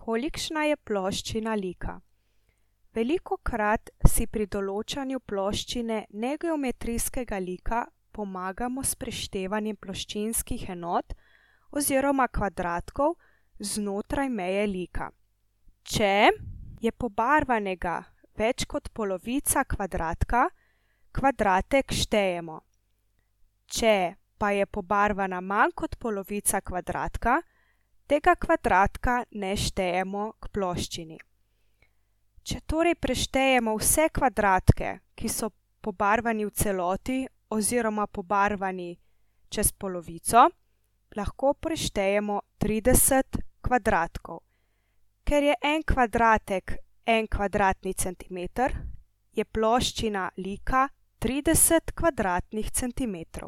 Kolikšna je ploščina lika? Velikokrat si pri določanju ploščine negeometrijskega lika pomagamo s preštevanjem ploščinskih enot oziroma kvadratkov znotraj meje lika. Če je pobarvanega več kot polovica kvadratka, kvadratek štejemo. Če pa je pobarvana manj kot polovica kvadratka, tega kvadratka ne štejemo k ploščini. Če torej preštejemo vse kvadratke, ki so pobarvani v celoti oziroma pobarvani čez polovico, lahko preštejemo 30 kvadratkov. Ker je en kvadratek en kvadratni centimeter, je ploščina lika 30 kvadratnih centimetrov.